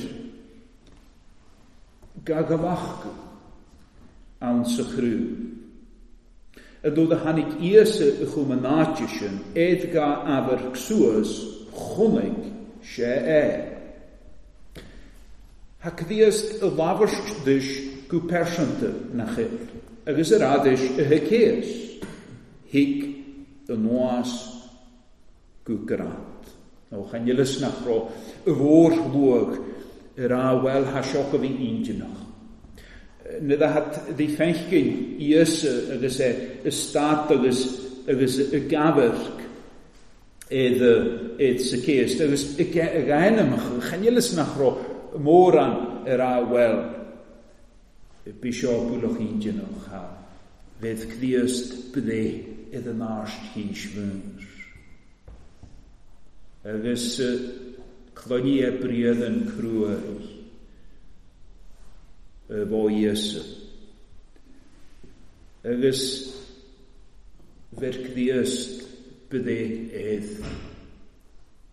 [SPEAKER 1] ga gymachgwch an sychrw. Y dod a hanig Iesu y chwm sin, edd ga afer cswas chwmig se e. Ha cddiast y lafyrst dys gw persanta na chyl, agus yr adys y hyceus, hig y noas gw grant. O chanilys nach ro y fôr lwg yr a wel ha sioc o fi un. Nid a hat ddi ffenchgyn Iesu agus e y stad agus, agus y gafyrg edd, edd Zacchaeus. Agus y gaenymach, chanilys nach ro môran yr a wel bisio bwlwch un dynwch ha fydd cddiast bydde iddo narst hys fwyr. Agus cloni e briad yn crwy y fo Iesu. Agus fer cddiast bydde edd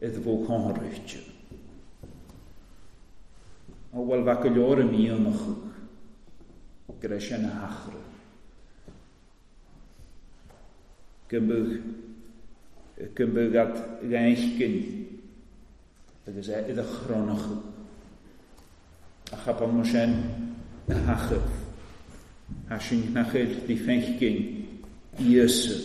[SPEAKER 1] edd fo conhorwytio. O wel fac y lior y mi ymachwch gyda sin a hachra. Gymwg gymwg at gainchgyn agus e iddo chronach a chapan mo sin a hachaf. Ha sin nachel di ffenchgyn Iesu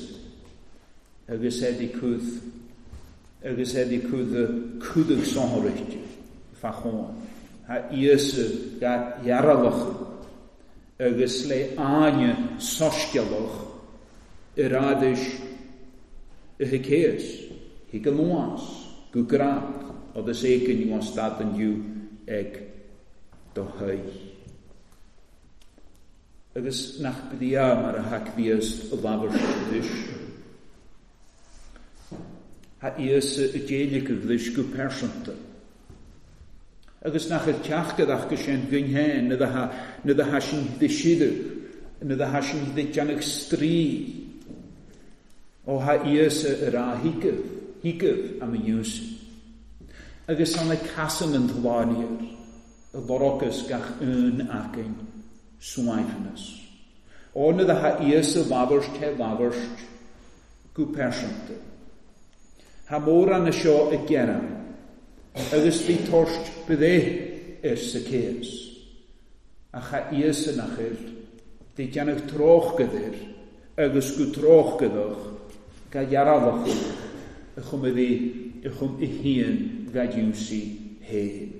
[SPEAKER 1] agus e di cwdd agus e di cwdd y cwddwg sonhorwytio fachon. Ha Iesu ga iaralach agus le áine soscialach yr adys y hyceus, hig yn oas, gw grad, oedd y segan yw stad yn yw eg do hwy. Agus nach byddia mar y hac ddias y lafar ydys. Ha Iesu y deilig y glys gw persanta. Agus nach yr teach gydach gysien gyn hen, nid ha, nid ha sin ddisidig, nid ha sin ddisianach stri. O ha Iesu yr a higyf, higyf am y iws. Agus an y casan yn dlani'r, y lorocus gach un acyn swaifnus. Óna a ha Íosa labhairt he labhairt go pearsanta. Ha mórán na seo ag gearán, agus bhí toirt bidé ar Zacchaeus. Ach ha Íosa nach eil, dí déanamh tróchgadir agus go tróchgadach ga dhearálach a chum a bhí a chum i híon ga dúsaí héin.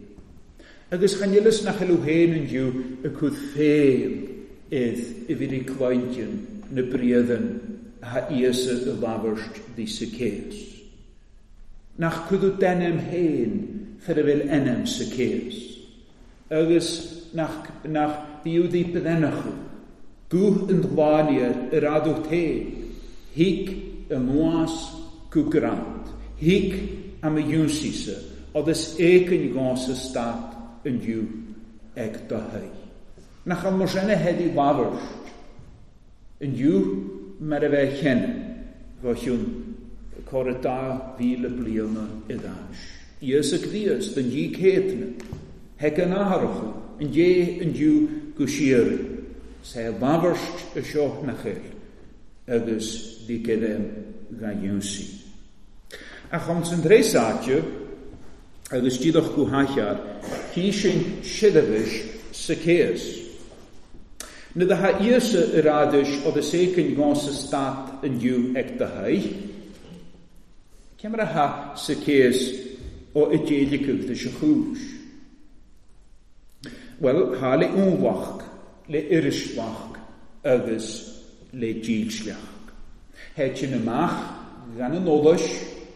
[SPEAKER 1] Agus chan eilus nach eil héin an dú a cúd féim idd i bhí clointin na bríadan ha Íosa a labhairt dí Zacchaeus. Nach cúdú denim héin fer a bhfuil enam Zacchaeus. Agus nach, nach diúdaí bedenachú. Guth an dlániar ar adú té. Hic y nuas go grant. Hic am y dúnsísa, agus éicin gás a stát an dú ag do hei. Nach an mar sin a headaí labhairt an dú mar a bheith cheann go chiún córa dá mhíle bliana i dtáis. Íosa Críost an dí céadna, hec an atharachú, an dé an dú go siaraí, sé labhairt a seo na chéil, agus dí céadem ga dúnsaí. Ach an san trésáte, agus díadach go haichear, chí sin siadabhis Zacchaeus. Na da ha Íosa ar adis agus éicin gás a stát an dú ag do hei, cé mar a ha Zacchaeus ó i déileachadh de se chúis? Well, ha le únmhach, le irismhach agus le dílsleach. Het sin amach gan an eolais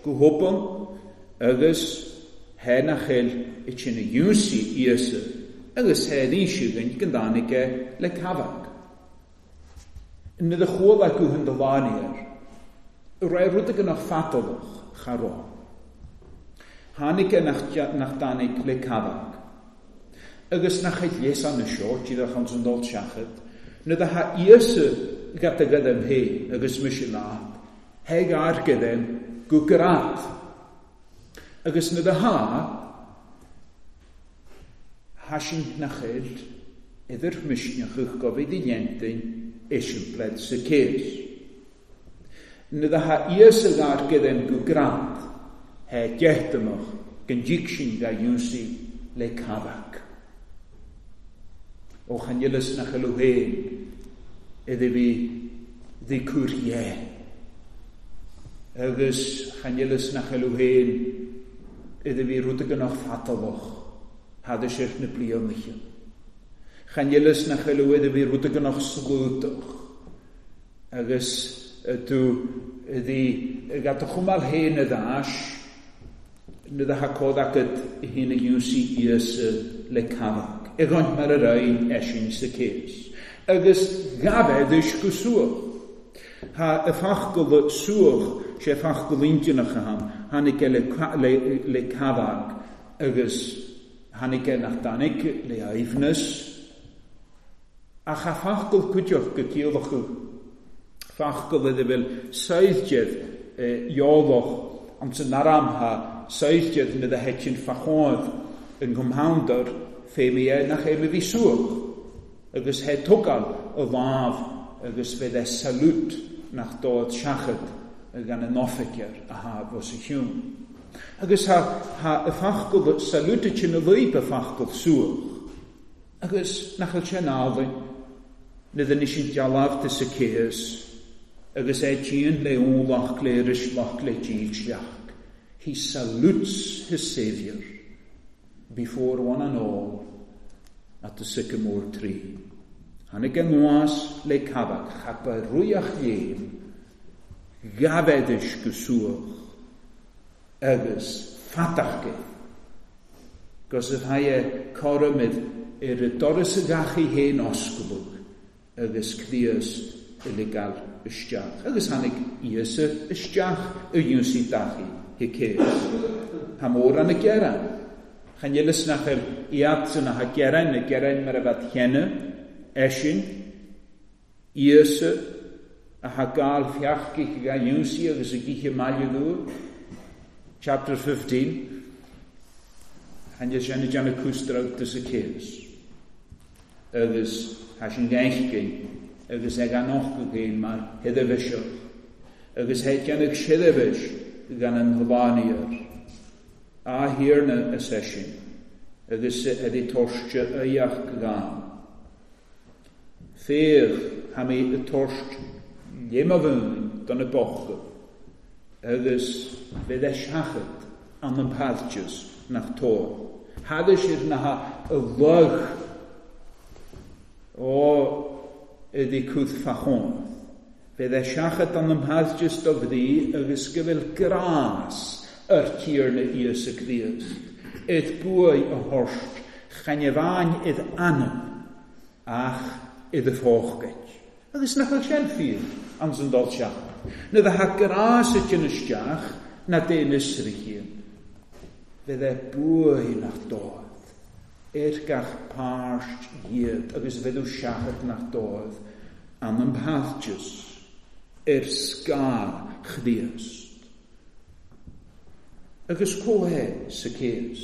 [SPEAKER 1] go hopan agus he nach eil i sin a dúsaí Íosa agus he insiúgan go dánaige le cabhach. Na da chuala go hun de lániar, ra rud go nach fatalach cha rá. Tháinig nach, nach dánig le cabhach. Agus nach het lees aan na seo, díadach an san dul seachad, na da ha Íosa gat a gadam hé agus mise leat, he gar gadam go grát. Agus na da ha, ha sin nach eil idir misneachach go bhí di dhéantain eisimpled Zacchaeus. Na da ha Íosa gar gadam go grát, he deachtamach gan díc sin ga dúsaí le cabhach. Ó chan eilus nach eil héin idir bhí dí cúr dhé. Agus chan eilus nach eil héin idir bhí rud go nach fatalach hada sir na blianacha. Chan eilus nach eil idir bhí rud go nach slútach. Agus tú dí gat a chumal héin a dás na da ha cód agad hín a dúsaí Íosa le cabhach. I gcont mar a rain eisin Zacchaeus. Agus gabhéadis go suach. Ha a fachgal suach, sé fachgal intinach a ham, tháinig le, le, le cabhach agus tháinig nach dánig le aoibhneas. Ach a fachgal cuideach go cíolach fachgal idir bhfuil saoirdead eolach an san aram ha saoirdead na da heitin fachád an gomhándar féimí nach é bhí suach, agus he tugáil a lámh agus bheith é salút nach dód seachad gan an oifigir a ha bhos a chiún. Agus ha, ha a fachgal salút sin a luip a fachgal suach, agus nach bhfuil sé nálainn, na duine sin dealbh de Zacchaeus, agus é tíon le ólach le rislach le dílsleach. He salutes his Saviour before one and all at the sycamore tree. Tháinig an nuas le cabhach, chapa ruiach léim, gabhéadis go suach, agus fatachge. Gos y haie corymid ar y doras y gachu hen osgwlwg, agus Críost illegal isteach. Agus tháinig Íosa isteach y dúsaí dachi Zacchaeus. Ha mór an y geran. Chan eilus nach eil iad san a ha geran, na geran mar a bheith cheanna, eisin, Íosa, a ha gael fiachgich ga dúsaí agus a gíche maille dú. Chapter fifteen. Chan eilus sin a déanamh cúsdrag de Zacchaeus. Agus ha sin gainchgin agus é gan nochtadh féin mar sheirbhíseach, agus é déanamh seirbhís gan an shlánaíoir. A Thiarna is é sin, agus é di toirte aíocht gan. Féach tha mé ag tabhairt léim do na bochta, agus bheith é seachad an an páilteas nach tóir. Thada siad na ha a lug ó ydi cwth ffachon. Bheith é seachad an an páilteas do bhrí agus go bhfuil grás ar Thiarna Íosa Críost. Id buaidh a thabhairt, chan amháin id anam, ach id phócaid. Agus nach bhfuil sin fíor ans an dul seach. Na dha grás y dyn isteach, na dyn ysrigyn. Bheith é buaidh nach dóibh, ar gach páirt iad, agus bheith seachad nach dóibh, an an páilteas, ar scáth Chríost. Agus có é sa céas,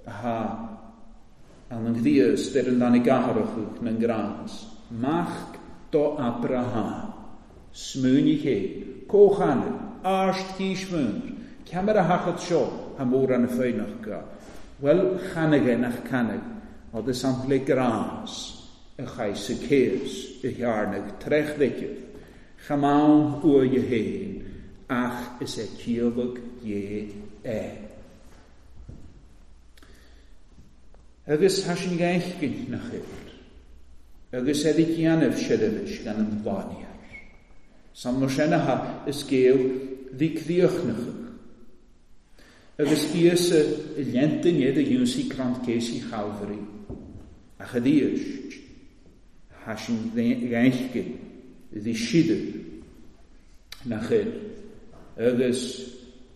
[SPEAKER 1] aha, an an Chríost ar an dan i gcathrach na ngrás, Mac do Abraham, smúni ché, cóchanna, áist chísmúr, ceamar a hachad seo, ha mór an y ffeinach ga. Wel, chanag nach canag, oedd y sample grás, y chais y cés, y hiarnag, trech ddigydd, chamawn uai y hen, ach is e ciolwg ie e. Agus hasin gaich nach chyr, agus eddi gianef seirbhís gan an bhlániar. Sam no senaha is géal ddi críochnachach. Agus Íosa i lentin iad a dúnsaí crant céisi Chalvary, ach a ddíoist, hasin gaich ddi siadw nach chyr, agus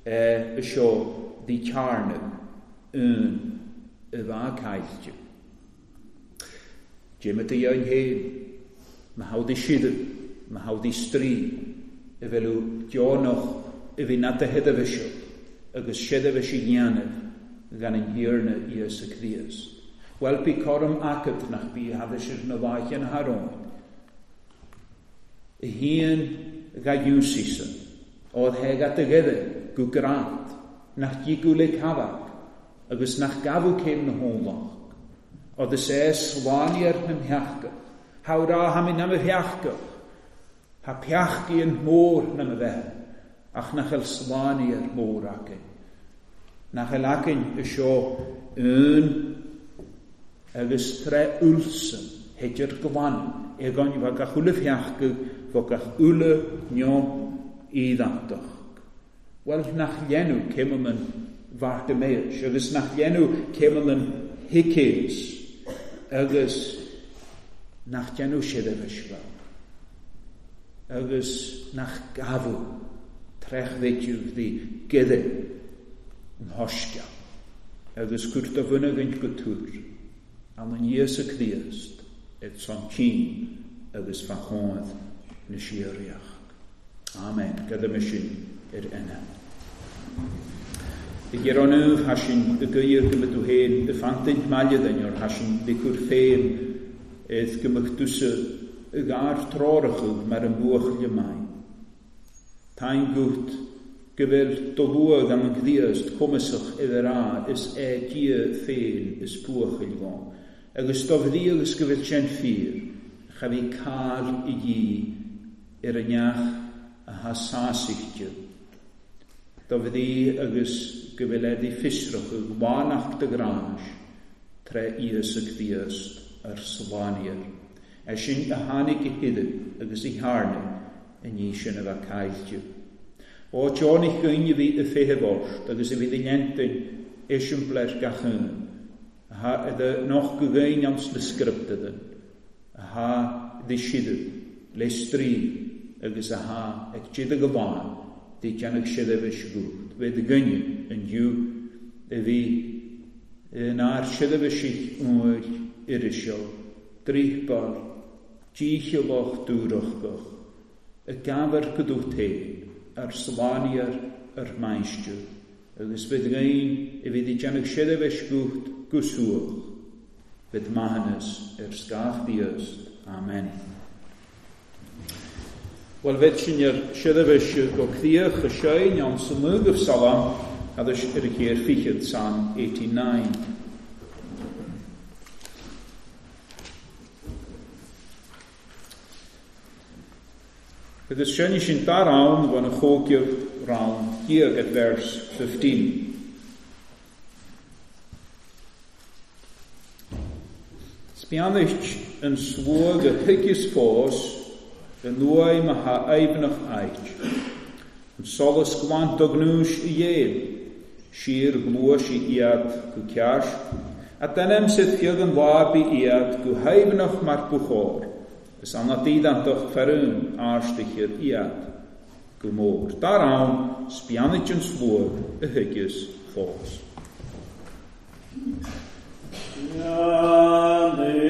[SPEAKER 1] y sio ddi charnw yn y dda caillte. Dim ydy ein hen, mae hawdd i siadw, mae hawdd i stri, y felw dionoch y fi nad y hedefysio, agus seirbhís i dhéanamh gan an Thiarna Íosa Críost. Wel, bí coram acad nach bí hadis na bháiche na haróin. Y híon ga dúsísa, oedd heg at y gyda, gw grant, nach digw le cafag, agus nach gafw cem na hólach. Oedd y se slániar na mheachgach, hawra ha mi na mheachgach, ha peachgi yn môr na mheach, ach nach el slániar môr acin. Nach el acin y sio un agus tre ulsen, heidir glan, egon fo gach ule feachgach, fo gach ule nio i ddatoch. Wel, nach llenw cym yn Bartimaeus, agus nach llenw cym yn Hicés, agus nach llenw seirbhís agus nach gafw trech ddeitiw ddi gyda yn hosgia, agus cwrt o fyny gynt gwtwr, an yn Iesu Crist, et son cyn, agus fachodd na siariach. Amen. Gyda mysin i'r enna. Y gyronw hasin y gyr gymryd hen y ffantynt maliadyn o'r hasin dicwr ffeim edd gymrydwsa y gar trorachwg mae'r ymwch lymau. Tain gwt gyfel dolwag am y gddiast cwmysach iddo ra is e dia ffein is pwch ilfon. Agus dofddi agus gyfel sien ffyr, chafi cael i gi i'r yniach a hasasichtio. Dofddi agus gyfel ffisrwch y gwanach dy gras, tre Íosa Críost ar slániar. E sin a tháinig i hidw agus i harnw yn ní sin a bheith caillte. O teonaich gyne fi y ffeithefort agus y fydd yn entyn esiampl gach un. Ha ydy noch gygain ans na sgriptydyn. Ha ddisiadw le stri agus a ha ag jyd y gyfan di janag seirbhís gwyd. Fe dy gyne yn yw y fi yn ar seirbhís oer irisio drihbar dícheallach dúrachgach y gafar gydwch te ar slániar ar maistio agus fydd gain y fydd i janag seirbhís gwyd gwswch fydd mahanus er sgach diast. Amen. Wel vetsinjer sjödevis go cleach a schein on samug of Salam hadis er a keer fichet Psalm eighty-nine. Het is schön in daar van een gookje round hier at verse fifteen. Spianish en swoog a higgis fos en nooi ma ha evenach ait. En solas glant dognús i jeel, sier gloos i iad go cears, at denem sit fiag waar bi iad go hevenach mar buchor, is an at idantoch ferun aarstichir iad go mór. Daaraan spianich en swoog a higgis fos.
[SPEAKER 2] Amen.